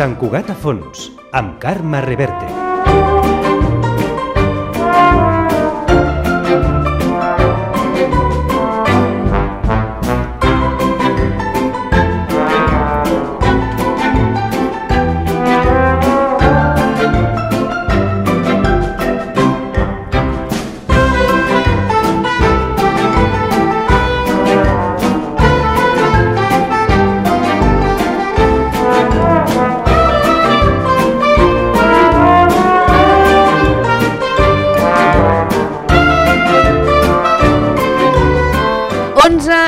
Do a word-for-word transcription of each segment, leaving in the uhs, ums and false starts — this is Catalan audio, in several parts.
Sant Cugat a fons, amb Carme Reverte.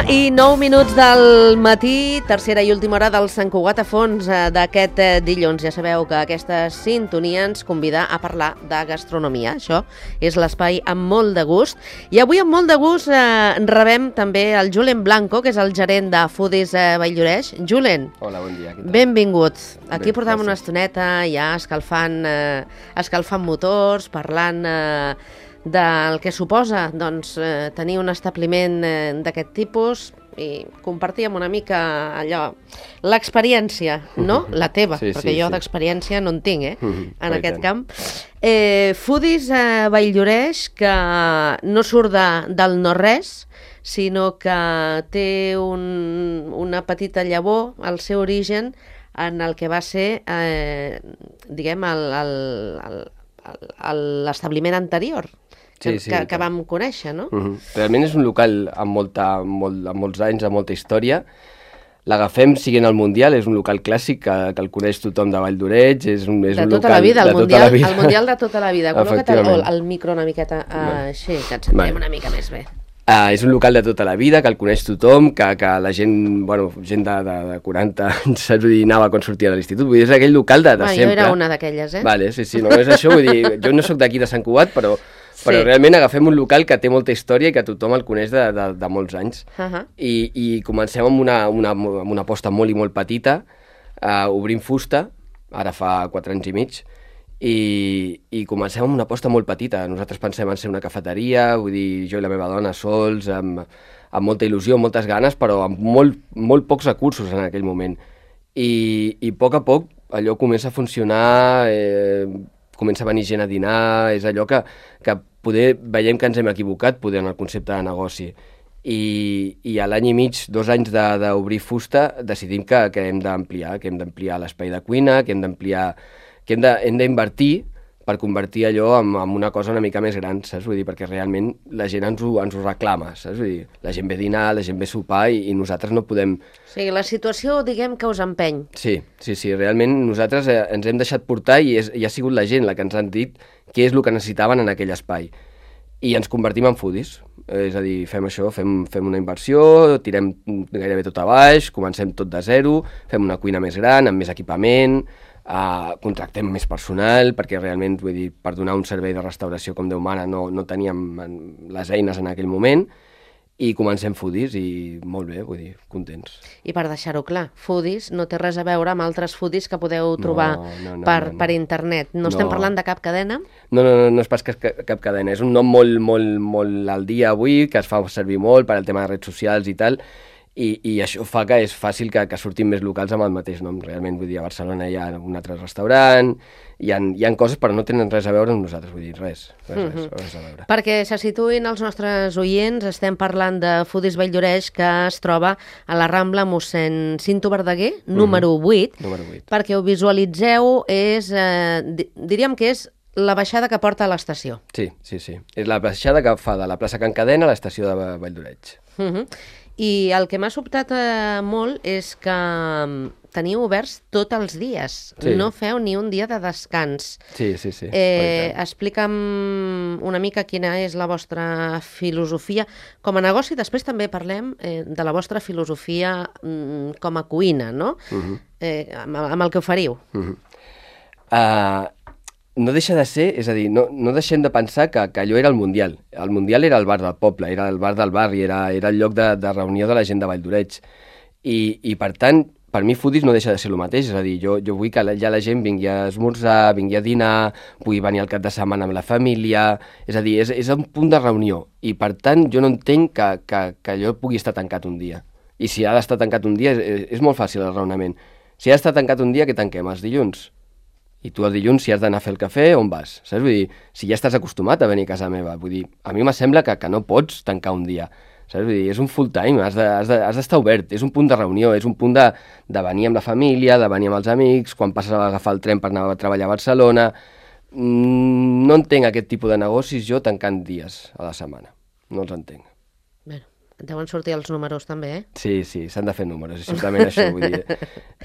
I nou minuts del matí, tercera i última hora del Sant Cugat a fons d'aquest dilluns. Ja sabeu que aquesta sintonia ens convida a parlar de gastronomia. Això és l'espai amb molt de gust. I avui amb molt de gust eh, rebem també el Julen Blanco, que és el gerent de Foodies eh, Valldoreix. Julen, hola, bon dia. Benvingut. Aquí Bé, portem gràcies. una estoneta ja escalfant, eh, escalfant motors, parlant eh, del que suposa doncs, eh, tenir un establiment eh, d'aquest tipus i compartíem una mica allò, l'experiència, no? La teva, Sí, perquè sí, jo sí. d'experiència no en tinc, eh? Mhm, En oi aquest tant. camp. Eh, Foodies eh, Valldoreix, que no surt de, del no-res, sinó que té un, una petita llavor, el seu origen, en el que va ser, eh, diguem, el, el, el, el, l'establiment anterior que, Sí, sí, que, i que tant. vam conèixer, no? Mhm. Realment és un local amb, molta, amb, molt, amb molts anys, amb molta història. L'agafem siguent el Mundial, és un local clàssic que, que el coneix tothom de Valldoreix. És un, és De un tota local la vida, el de tota mundial, la vida. el mundial de tota la vida. Col·loca't el, Efectivament. el micro una miqueta uh, Vale. així, que ens sentim Vale. una mica més bé. Uh, és un local de tota la vida, que el coneix tothom, que, que la gent, bueno, gent de, de, de quaranta anys, saps? Vull dir, anava quan sortia de l'institut. Vull dir, és aquell local de, de Va, sempre. jo era una d'aquelles, eh? Vale, sí, sí, no és això, vull dir, jo no sóc d'aquí de Sant Cugat, però, Sí. però realment agafem un local que té molta història i que tothom el coneix de, de, de molts anys. Uh -huh. I, i comencem amb una, una, amb una aposta molt i molt petita, uh, obrint fusta, ara fa quatre anys i mig, i, i comencem amb una aposta molt petita. Nosaltres pensem en ser una cafeteria, vull dir, jo i la meva dona sols, amb, amb molta il·lusió, amb moltes ganes, però amb molt, molt pocs recursos en aquell moment. I, i a poc a poc allò comença a funcionar, eh, comença a venir gent a dinar, és allò que, que poder veiem que ens hem equivocat poder en el concepte de negoci. I, i a l'any i mig, dos anys de- d'obrir fusta, decidim que, que hem d'ampliar, que hem d'ampliar l'espai de cuina, que hem d'ampliar, que hem de- hem d'invertir per convertir allò en, en una cosa una mica més gran, saps? Vull dir, perquè realment la gent ens ho, ens ho reclama, saps? Vull dir, la gent ve a dinar, la gent ve a sopar i, i nosaltres no podem... O sigui, la situació, diguem, que us empeny. Sí, sí, sí, realment nosaltres eh, ens hem deixat portar i, és, i ha sigut la gent la que ens han dit què és el que necessitaven en aquell espai. I ens convertim en foodies, eh, és a dir, fem això, fem, fem una inversió, tirem gairebé tot a baix, comencem tot de zero, fem una cuina més gran, amb més equipament, eh, contractem més personal, perquè realment, vull dir, per donar un servei de restauració com Déu mana no, no teníem en- les eines en aquell moment, i comencem Foodies i molt bé, vull dir, contents. I per deixar-ho clar, Foodies no té res a veure amb altres Foodies que podeu trobar No, no, no, per, no, no. per internet. No, estem No. parlant de cap cadena? No, no, no, no és pas cap, cap cadena, és un nom molt, molt, molt al dia avui, que es fa servir molt per al tema de redes socials i tal, i, i això fa que és fàcil que, que surtin més locals amb el mateix nom. Realment, vull dir, a Barcelona hi ha un altre restaurant, hi ha, hi ha coses però no tenen res a veure amb nosaltres, vull dir, res, res, res, Mhm. res a veure. Perquè se situïn els nostres oients, estem parlant de Foodies Valldoreix, que es troba a la Rambla mossèn Cinto Verdaguer, número vuit. Número vuit. Perquè ho visualitzeu, és, eh, di- diríem que és la baixada que porta a l'estació. Sí, sí, sí. És la baixada que fa de la plaça Can Cadena a l'estació de Va- Valldoreix. Uh -huh. I el que m'ha sobtat eh, molt és que mm, teniu oberts tots els dies. Sí. No feu ni un dia de descans. Sí, sí, sí. Eh, oi tant. explica'm una mica quina és la vostra filosofia com a negoci. Després també parlem eh, de la vostra filosofia mm, com a cuina, no? Mhm. eh, amb, amb el que oferiu. Mhm. Uh, no deixa de ser, és a dir, no, no deixem de pensar que, que allò era el Mundial. El Mundial era el bar del poble, era el bar del barri, era, era el lloc de, de reunió de la gent de Valldoreix. I, i per tant, per mi Foodies no deixa de ser el mateix, és a dir, jo, jo vull que la, ja la gent vingui a esmorzar, vingui a dinar, pugui venir al cap de setmana amb la família, és a dir, és, és un punt de reunió, i per tant jo no entenc que, que, que allò pugui estar tancat un dia. I si ha d'estar tancat un dia és, és molt fàcil el raonament. Si ha d'estar tancat un dia, que tanquem els dilluns. I tu el dilluns, si has d'anar a fer el cafè, on vas? Saps? Vull dir, si ja estàs acostumat a venir a casa meva, vull dir, a mi me sembla que, que no pots tancar un dia. Saps? Vull dir, és un full time, has de, has de, has d'estar obert, és un punt de reunió, és un punt de, de venir amb la família, de venir amb els amics, quan passes a agafar el tren per anar a treballar a Barcelona. Mm, no entenc aquest tipus de negocis jo tancant dies a la setmana. No els entenc. Bueno, deuen sortir els números també, eh? Sí, sí, s'han de fer números, és simplement això. Vull dir,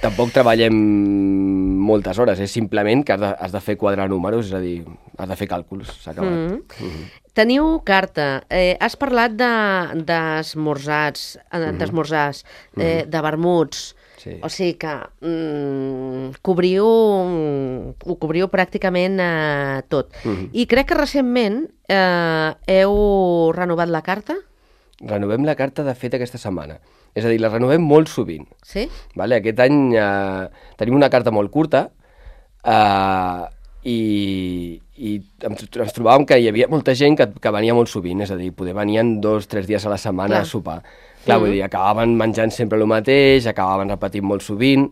tampoc treballem moltes hores, és simplement que has de, has de fer quadrar números, és a dir, has de fer càlculs, s'ha acabat. Mm. Mm-hmm. Teniu carta, eh, has parlat d'esmorzars, de, d'esmorzars, mm-hmm. eh, de vermuts, sí. O sigui que mm, cobriu, ho cobriu pràcticament eh, tot. Mm-hmm. I crec que recentment eh, heu renovat la carta? Renovem la carta, de fet, aquesta setmana. És a dir, la renovem molt sovint. Sí? Vale? Aquest any eh, tenim una carta molt curta eh, i, i ens, ens trobàvem que hi havia molta gent que, que venia molt sovint, és a dir, poder venien dos o tres dies a la setmana Clar. a sopar. Clar, mm. vull dir, acabaven menjant sempre el mateix, acabaven repetint molt sovint,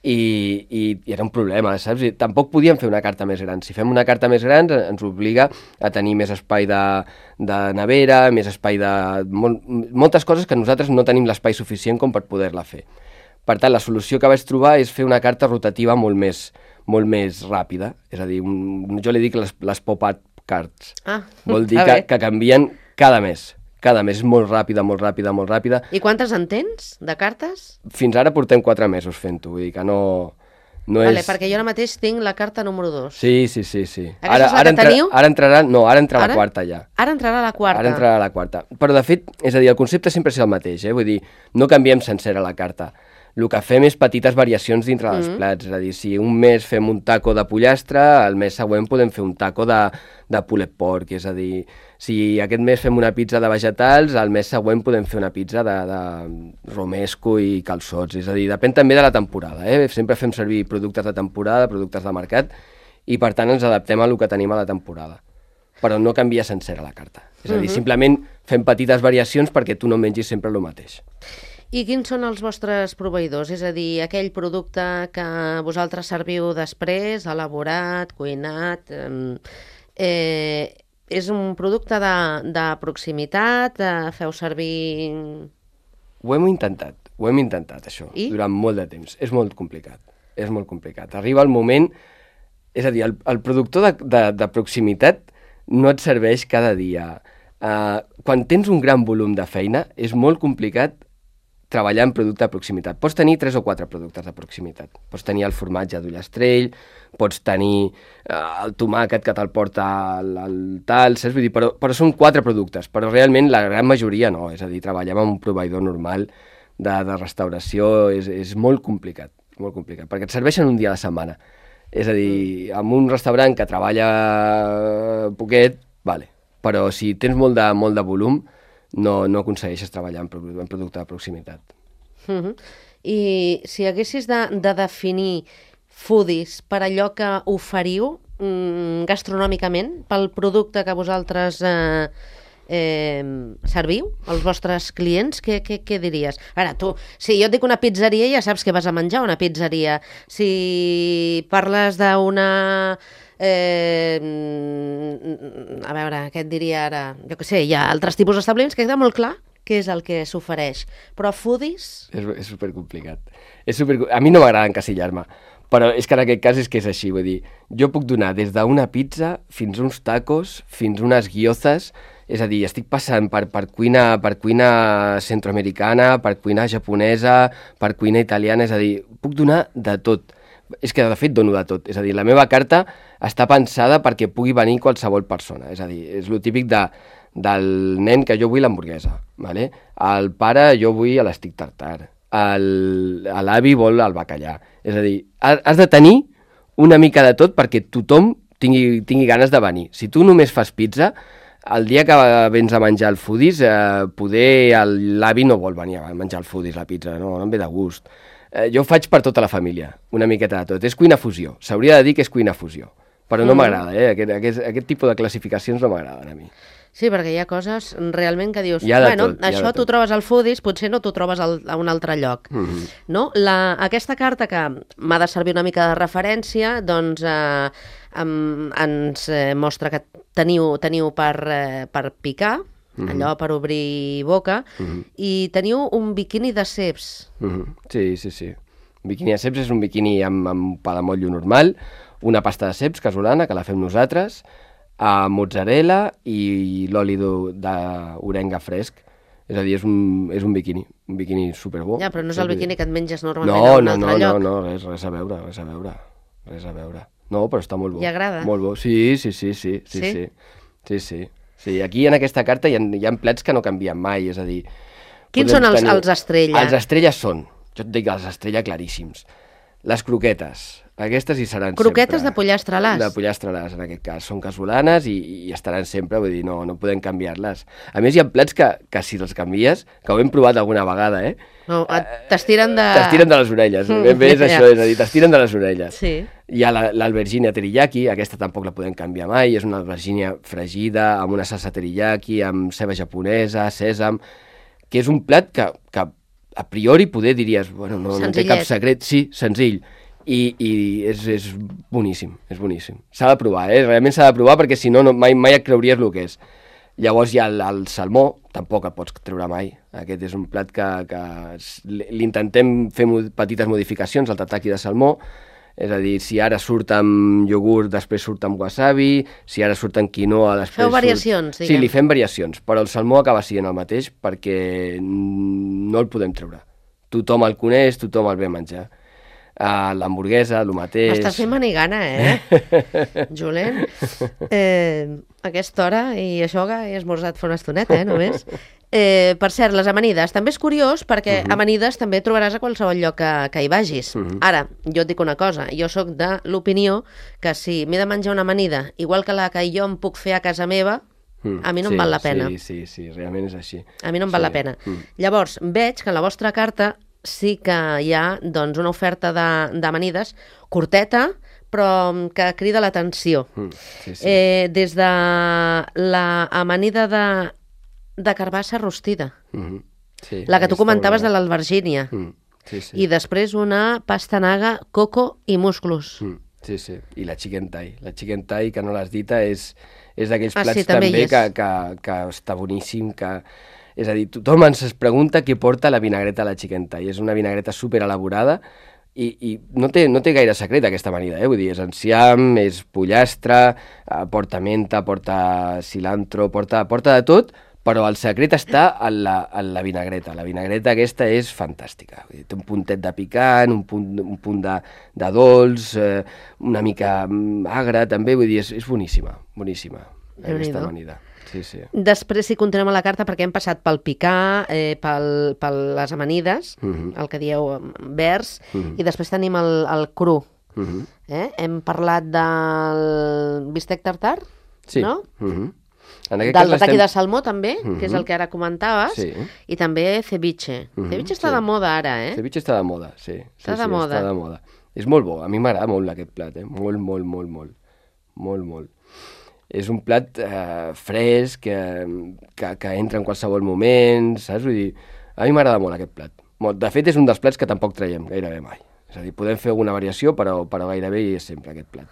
i, i, i era un problema, saps? I tampoc podíem fer una carta més gran. Si fem una carta més gran ens obliga a tenir més espai de, de nevera, més espai de... Mol, moltes coses que nosaltres no tenim l'espai suficient com per poder-la fer. Per tant, la solució que vaig trobar és fer una carta rotativa molt més, molt més ràpida. És a dir, un, jo li dic les, les pop-up cards. Ah, Vol dir que, que canvien cada mes. Cada mes és molt ràpida, molt ràpida, molt ràpida. I quantes en tens, de cartes? Fins ara portem quatre mesos fent-ho, vull dir que no, no vale, és... perquè jo ara mateix tinc la carta número dos. Sí, sí, sí, sí. Aquesta ara, és la ara que entra, teniu? Ara entrarà, no, ara entrarà Ara? la quarta ja. Ara entrarà la quarta. Ara entrarà la quarta. Però de fet, és a dir, el concepte sempre és el mateix, eh? Vull dir, no canviem sencera la carta. El que fem és petites variacions dintre dels mm. plats, és a dir, si un mes fem un taco de pollastre, el mes següent podem fer un taco de, de pulled pork, és a dir, si aquest mes fem una pizza de vegetals, el mes següent podem fer una pizza de, de romesco i calçots, és a dir, depèn també de la temporada, eh? Sempre fem servir productes de temporada, productes de mercat, i per tant ens adaptem a el que tenim a la temporada. Però no canvia sencera la carta, és a dir, mm-hmm. simplement fem petites variacions perquè tu no mengis sempre el mateix. I quins són els vostres proveïdors? És a dir, aquell producte que vosaltres serviu després, elaborat, cuinat... Eh, és un producte de, de proximitat? Eh, feu servir... Ho hem intentat, ho hem intentat, això, I? durant molt de temps. És molt complicat, és molt complicat. Arriba el moment... És a dir, el, el productor de, de, de proximitat no et serveix cada dia. Uh, quan tens un gran volum de feina, és molt complicat treballar en producte de proximitat. Pots tenir tres o quatre productes de proximitat. Pots tenir el formatge d'ullastrell, pots tenir uh, el tomàquet que te'l porta el, el tal, saps? Vull dir, però, però són quatre productes, però realment la gran majoria no. És a dir, treballar amb un proveïdor normal de, de restauració és, és molt complicat, molt complicat, perquè et serveixen un dia a la setmana. És a dir, amb un restaurant que treballa poquet, vale, però si tens molt de, molt de volum, no, no aconsegueixes treballar en, produ en producte de proximitat. Uh-huh. I si haguessis de, de definir foodies per allò que oferiu mm, gastronòmicament, pel producte que vosaltres eh, eh, serviu, als vostres clients, què, què, què diries? Ara, tu, si jo et dic una pizzeria, ja saps que vas a menjar una pizzeria. Si parles d'una... Eh, a veure, què et diria ara? Jo què sé, hi ha altres tipus d'establiments que queda molt clar què és el que s'ofereix. Però foodies... És, és supercomplicat. És super... A mi no m'agrada encasillar-me, però és que en aquest cas és que és així, vull dir, jo puc donar des d'una pizza fins uns tacos, fins unes gyozas, és a dir, estic passant per, per, cuina, per cuina centroamericana, per cuina japonesa, per cuina italiana, és a dir, puc donar de tot. És que de fet dono de tot, és a dir, la meva carta està pensada perquè pugui venir qualsevol persona, és a dir, és lo típic de, del nen que jo vull l'hamburguesa, ¿vale? El pare jo vull l'estic tartar, l'avi vol el bacallà, és a dir, has de tenir una mica de tot perquè tothom tingui, tingui ganes de venir. Si tu només fas pizza, el dia que vens a menjar el foodies, eh, poder l'avi no vol venir a menjar el foodies, la pizza, no, no em ve de gust. Eh, jo ho faig per tota la família, una miqueta de tot. És cuina fusió, s'hauria de dir que és cuina fusió, però no m'agrada, eh? Aquest, aquest, aquest tipus de classificacions no m'agraden a mi. Sí, perquè hi ha coses realment que dius, Hi ha de bueno, tot, hi ha això de t'ho tot. trobes al Foodies, potser no t'ho trobes al, a un altre lloc. Mhm. No? La, aquesta carta que m'ha de servir una mica de referència, doncs eh, em, ens eh, mostra que teniu, teniu per, eh, per picar, allò per obrir boca, i teniu un biquini de ceps. Mhm. Sí, sí, sí. Un biquini de ceps és un biquini amb, amb pa de motllo normal, una pasta de ceps casolana, que la fem nosaltres, a mozzarella i l'oli d'o- d'orenga fresc. És a dir, és un, és un biquini, un biquini superbo. Ja, però no és el biquini que et menges normalment no, a un no, altre no, lloc. No, no, res, res a veure, res a veure, res a veure. No, però està molt bo. I agrada? Molt bo, sí, sí, sí, sí, sí, Sí? sí, sí, sí. Sí, aquí en aquesta carta hi ha, hi ha plats que no canvien mai, és a dir... Quins podem són els, tenir- els estrella? Els estrelles són, jo et dic els estrella claríssims, les croquetes, aquestes hi seran Croquetes sempre. de pollastre a l'as? De pollastre a l'as, en aquest cas. Són casolanes i, i estaran sempre, vull dir, no, no podem canviar-les. A més, hi ha plats que, que si els canvies, que ho hem provat alguna vegada, eh? No, et- t'estiren de... T'estiren de les orelles, ben bé és Ja. això, és a dir, t'estiren de les orelles. Sí. Hi ha la- l'albergínia teriyaki, aquesta tampoc la podem canviar mai, és una albergínia fregida, amb una salsa teriyaki, amb ceba japonesa, sèsam, que és un plat que, que a priori poder diries, bueno, no, no té cap Senzillet. secret, sí, senzill, i, i és, és boníssim, és boníssim. S'ha de provar, eh? Realment s'ha de provar perquè si no, no mai, mai et creuries el que és. Llavors hi ha el, el salmó, tampoc el pots treure mai. Aquest és un plat que, que s- l'intentem fer mo- petites modificacions, el tataki de salmó, és a dir, si ara surt amb iogurt, després surt amb wasabi, si ara surt amb quinoa, després Feu surt... variacions, Sí, diguem. li fem variacions, però el salmó acaba sent el mateix perquè no el podem treure. Tothom el coneix, tothom el ve a menjar. Uh, l'hamburguesa, el mateix... M'estàs fent manigana, eh? Julen, eh, a aquesta hora, i això que he esmorzat fa una estoneta, eh, només. Eh, per cert, les amanides, també és curiós perquè amanides també trobaràs a qualsevol lloc que, que hi vagis. Ara, jo et dic una cosa, jo sóc de l'opinió que si m'he de menjar una amanida, igual que la que jo em puc fer a casa meva, Mm, a mi no sí, em val la pena. Sí, sí, sí, realment és així. A mi no em val Sí. la pena. Mm. Llavors, veig que en la vostra carta sí que hi ha doncs, una oferta de- d'amanides curteta, però que crida l'atenció. Mm, sí, sí. Eh, des de la amanida de, de carbassa rostida, Mhm. Sí, la que tu aquesta comentaves de olora. l'albergínia, Mm, sí, sí. i després una pastanaga, coco i musclos. Mm, sí, sí. I la chicken thai. La chicken thai, que no l'has dita, és, és d'aquells Ah, plats sí, també hi també és. que, que, que està boníssim, que... És a dir, tothom ens es pregunta què porta la vinagreta a la chicken thai. És una vinagreta super elaborada i, i no, té, no té gaire secret aquesta amanida, eh? Vull dir, és enciam, és pollastre, eh, porta menta, porta cilantro, porta, porta de tot, però el secret està en la, en la vinagreta. La vinagreta aquesta és fantàstica. Vull dir, té un puntet de picant, un punt, un punt de, de dolç, eh, una mica mm, agre també, vull dir, és, és boníssima, boníssima, Déu-n'hi-do. aquesta amanida. Sí, sí. Després, si continuem a la carta, perquè hem passat pel picar, eh, pel, pel les amanides, Mhm. el que dieu em, verds, Mhm. i després tenim el, el cru. Mhm. Eh? Hem parlat del bistec tartar, Sí. no? Mhm. En aquest Del cas tataki l'estem- de salmó, també, que és Mhm. el que ara comentaves, Sí. i també ceviche. Mhm, Ceviche està sí. de moda ara, eh? Ceviche està de moda, sí. sí Està de sí, moda. Està de moda. És molt bo, a mi m'agrada molt aquest plat, eh? Molt, molt, molt, molt. Molt, molt. És un plat eh, fresc, que, que, que entra en qualsevol moment, saps? Vull dir, a mi m'agrada molt aquest plat. Molt. De fet, és un dels plats que tampoc traiem gairebé mai. És a dir, podem fer alguna variació, però, però gairebé és sempre aquest plat.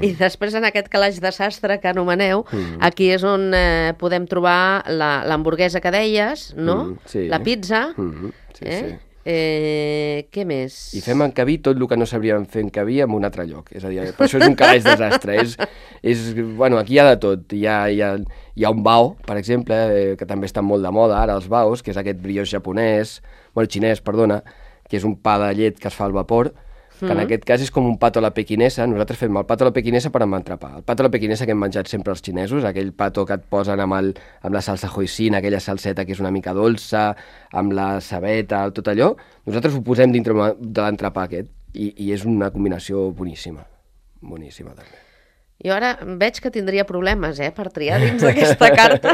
I després en aquest calaix de sastre que anomeneu, Mhm. aquí és on eh, podem trobar la- l'hamburguesa que deies, no? Mhm, sí. La pizza, Mhm, sí, eh? sí. Eh, què més? I fem encabir tot el que no sabríem fer encabir en un altre lloc. És a dir, per això és un calaix desastre. És, és, bueno, aquí hi ha de tot. Hi ha, hi ha, hi ha un bao, per exemple, eh, que també està molt de moda ara, els baos, que és aquest brioix japonès, bueno, xinès, perdona, que és un pa de llet que es fa al vapor, que en aquest cas és com un pato a la pequinesa. Nosaltres fem el pato a la pequinesa per amb entrepà. El pato a la pequinesa que hem menjat sempre els xinesos, aquell pato que et posen amb, el, amb la salsa hoisin, aquella salseta que és una mica dolça, amb la cebeta, tot allò, nosaltres ho posem dintre de l'entrepà aquest, i, i és una combinació boníssima. Boníssima, també. Jo ara veig que tindria problemes, eh, per triar dins d'aquesta carta.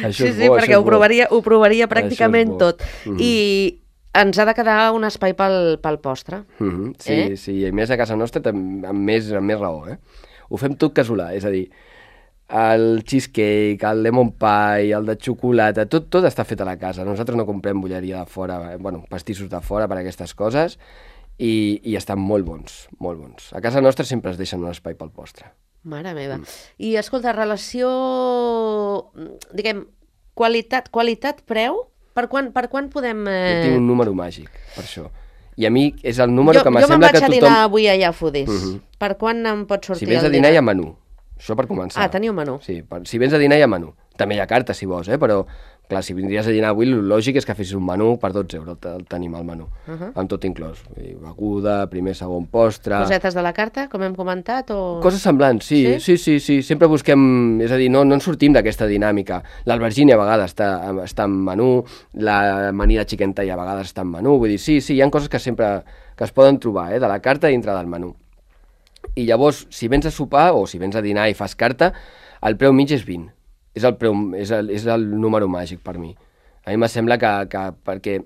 Això sí, és sí, bo, perquè això és ho bo. provaria, ho provaria Això és pràcticament bo. tot. Mhm. I ens ha de quedar un espai pel, pel postre. Mm -hmm. Sí, eh? sí, i a més a casa nostra amb, amb, més, amb més raó, eh? Ho fem tot casolà, és a dir, el cheesecake, el lemon pie, el de xocolata, tot, tot està fet a la casa. Nosaltres no comprem bolleria de fora, bueno, pastissos de fora per a aquestes coses, i, i estan molt bons, molt bons. A casa nostra sempre es deixen un espai pel postre. Mare meva. Mm. I, escolta, relació, diguem, qualitat, qualitat-preu, per quan, per quan podem... Eh... Jo tinc un número màgic, per això. I a mi és el número jo, que m'assembla que tothom... Jo me'n vaig a dinar avui allà a Foodies. Uh -huh. Per quan em pot sortir si vens a el dinar, dinar? hi ha menú. Això per començar. Ah, teniu menú. Sí, per, si vens a dinar hi ha menú. També hi ha carta, si vols, eh? Però, clar, si vindries a dinar avui, el lògic és que fessis un menú per dotze euros, el tenim al menú, uh -huh. amb tot inclòs. Beguda, primer, segon postre... Cosetes de la carta, com hem comentat, o...? Coses semblants, sí, sí, sí, sí, sí. Sempre busquem... És a dir, no, no ens sortim d'aquesta dinàmica. L'albergínia a vegades està, està en menú, l'amanida chicken thai a vegades està en menú, vull dir, sí, sí, hi ha coses que sempre que es poden trobar, eh? De la carta dintre del menú. I llavors, si vens a sopar o si vens a dinar i fas carta, el preu mig és vint. És el, preu, és el, és el número màgic per mi. A mi me sembla que, que perquè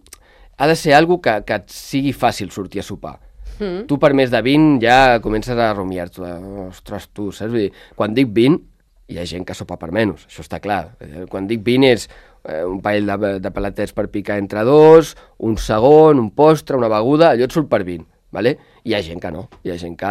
ha de ser algo que, que et sigui fàcil sortir a sopar. Mm. Tu per més de vint ja comences a rumiar-te. Ostres, tu, saps? Vull dir, quan dic vint, hi ha gent que sopa per menys, això està clar. Quan dic vint és eh, un parell de, de palatets per picar entre dos, un segon, un postre, una beguda, allò et surt per vint. Vale? Hi ha gent que no, hi ha gent que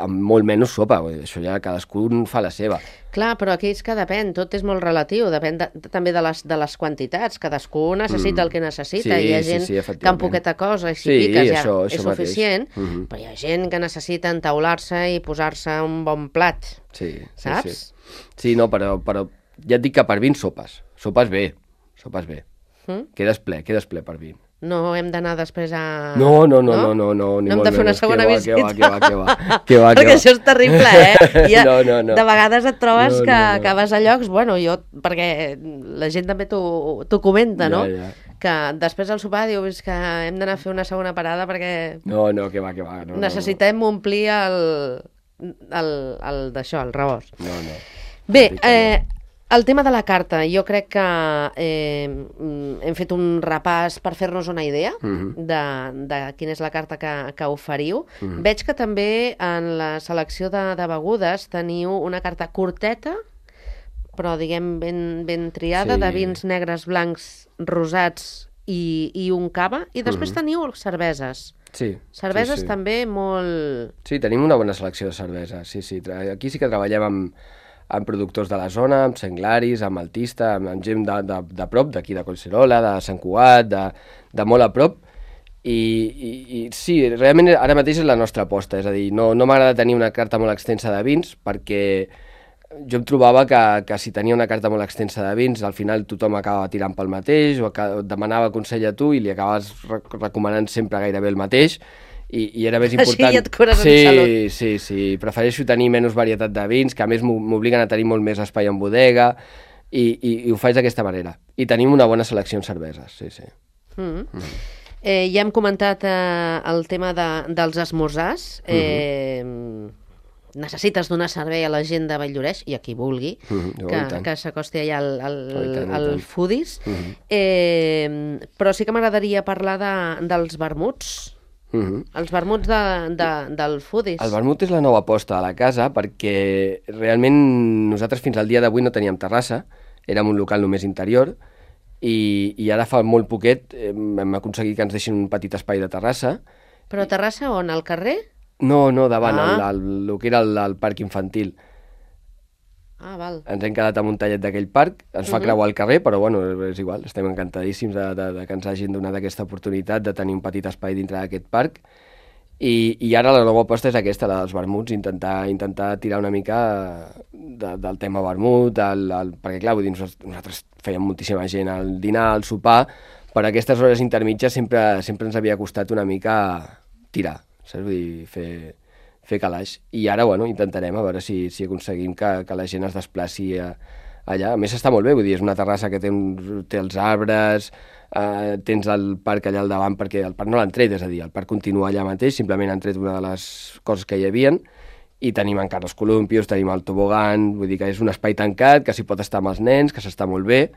amb molt menys sopa, això ja cadascú fa la seva. Clar, però aquí és que depèn, tot és molt relatiu, depèn de, també de les, de les quantitats, cadascú necessita mm. el que necessita, sí, hi ha gent sí, sí, que amb poqueta cosa, i si sí, piques ja això, això és suficient, mm -hmm. però hi ha gent que necessita entaular-se i posar-se un bon plat, sí, saps? Sí, sí. sí no, però, però ja et dic que per vint sopes, sopes bé, sopes bé, mm? quedes ple, quedes ple per vint. No hem d'anar després a... No, no, no, no, no, no, ni no hem molt de fer una menys. segona que va, visita. Que va, que va, que va, que va, Perquè que va. això és terrible, eh? Ja, no, no, no. De vegades et trobes no, que, no, no. que vas a llocs, bueno, jo, perquè la gent també t'ho comenta, no? Ja, ja. Que després al sopar dius que hem d'anar a fer una segona parada perquè... No, no, que va, que va. No, necessitem no, no. omplir el, el, el d'això, el rebost. No, no. Bé, eh... el tema de la carta, jo crec que eh, hem fet un repàs per fer-nos una idea uh -huh. de, de quina és la carta que, que oferiu. Uh -huh. Veig que també en la selecció de, de begudes teniu una carta curteta, però diguem ben, ben triada, sí. de vins negres, blancs, rosats i, i un cava, i després uh -huh. teniu cerveses. Sí. Cerveses sí, sí. també molt... Sí, tenim una bona selecció de cerveses, sí, sí. Aquí sí que treballem amb... amb productors de la zona, amb Senglaris, amb Altista, amb, amb gent de, de, de prop, d'aquí de Collserola, de Sant Cugat, de, de molt a prop, i, i, i sí, realment ara mateix és la nostra aposta, és a dir, no, no m'agrada tenir una carta molt extensa de vins, perquè jo em trobava que, que si tenia una carta molt extensa de vins, al final tothom acaba tirant pel mateix, o demanava consell a tu i li acabes recomanant sempre gairebé el mateix, I, i era més important... Així ja et cures sí, en salut. Sí, sí, prefereixo tenir menys varietat de vins, que a més m'obliguen a tenir molt més espai en bodega, i, i, i ho faig d'aquesta manera. I tenim una bona selecció en cerveses, sí, sí. Mm. Mm. Eh, ja hem comentat eh, el tema de, dels esmorzars. Eh, mm-hmm. Necessites donar servei a la gent de Valldoreix, i a qui vulgui, mm-hmm. que, que s'acosti allà al, al, oh, tant, al Foodies. Mm-hmm. eh, però sí que m'agradaria parlar de, dels vermuts. Uh -huh. Els vermuts de, de, del Foodies. El vermut és la nova aposta a la casa, perquè realment nosaltres fins al dia d'avui no teníem terrassa, érem un local només interior, i, i ara fa molt poquet hem aconseguit que ens deixin un petit espai de terrassa. Però terrassa on? Al carrer? No, no, davant, ah. el, el, el que era el, el parc infantil. Ah, val. Ens hem quedat amb un tallet d'aquell parc, ens fa uh -huh. creuar el carrer, però bueno, és igual, estem encantadíssims de, de, de que ens hagin donat aquesta oportunitat de tenir un petit espai dintre d'aquest parc, i, i ara la nova aposta és aquesta, la dels vermuts, intentar, intentar tirar una mica de, del tema vermut, el, el, perquè clar, vull dir, nosaltres fèiem moltíssima gent al dinar, al sopar, per aquestes hores intermitges sempre, sempre ens havia costat una mica tirar, saps? Vull dir, fer... fer calaix, i ara, bueno, intentarem a veure si, si aconseguim que, que la gent es desplaci a, allà. A més, està molt bé, vull dir, és una terrassa que té, un, té els arbres, eh, tens el parc allà al davant, perquè el parc no l'han tret, és a dir, el parc continua allà mateix, simplement han tret una de les coses que hi havien, i tenim encara els columpios, tenim el tobogan, vull dir que és un espai tancat, que s'hi pot estar amb els nens, que s'està molt bé,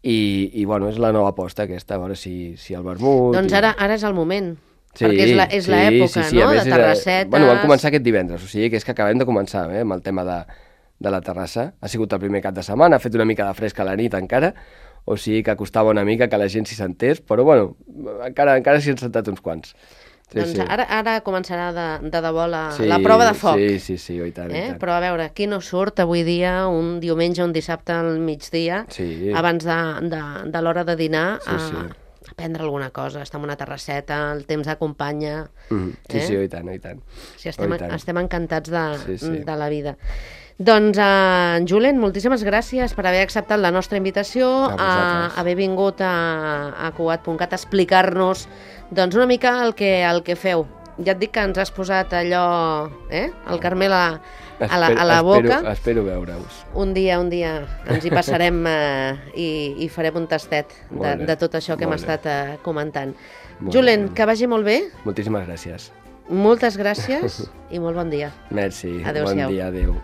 i, i bueno, és la nova aposta aquesta, a veure si, si el vermut... Doncs i... ara, ara és el moment, sí, perquè és la- és sí, l'època, sí, sí, no?, a més de és, eh, terrassetes... Bueno, vam començar aquest divendres, o sigui que és que acabem de començar eh, amb el tema de, de la terrassa. Ha sigut el primer cap de setmana, ha fet una mica de fresca a la nit encara, o sigui que costava una mica que la gent s'hi sentés, però bueno, encara, encara s'hi han sentat uns quants. Sí, Doncs sí. ara, ara començarà de, de debò la, Sí, la prova de foc. Sí, sí, sí, oh, i tant, i Eh? tant. Però a veure, qui no surt avui dia, un diumenge, un dissabte al migdia, Sí. abans de, de, de l'hora de dinar, Sí, a, sí. a prendre alguna cosa, estar en una terrasseta, el temps acompanya... Mm, sí, eh? sí, oh, i tant, oh, i tant. Sí, estem, Oh, i tant. estem encantats de, Sí, sí. de la vida. Doncs, uh, Julen, moltíssimes gràcies per haver acceptat la nostra invitació, A a, vosaltres. haver vingut a, a Cugat punt cat a explicar-nos doncs, una mica el que, el que feu. Ja et dic que ens has posat allò, eh? el Carmel a, a, la, a la boca. Espero, espero veure-us. Un dia, un dia ens hi passarem eh, i, i farem un tastet de, Molt bé, de tot això que hem molt bé. estat eh, comentant. Molt Julen, bé. que vagi molt bé, Moltíssimes gràcies. moltes gràcies i molt bon dia. Merci. Adéu-siau. Bon dia, adéu.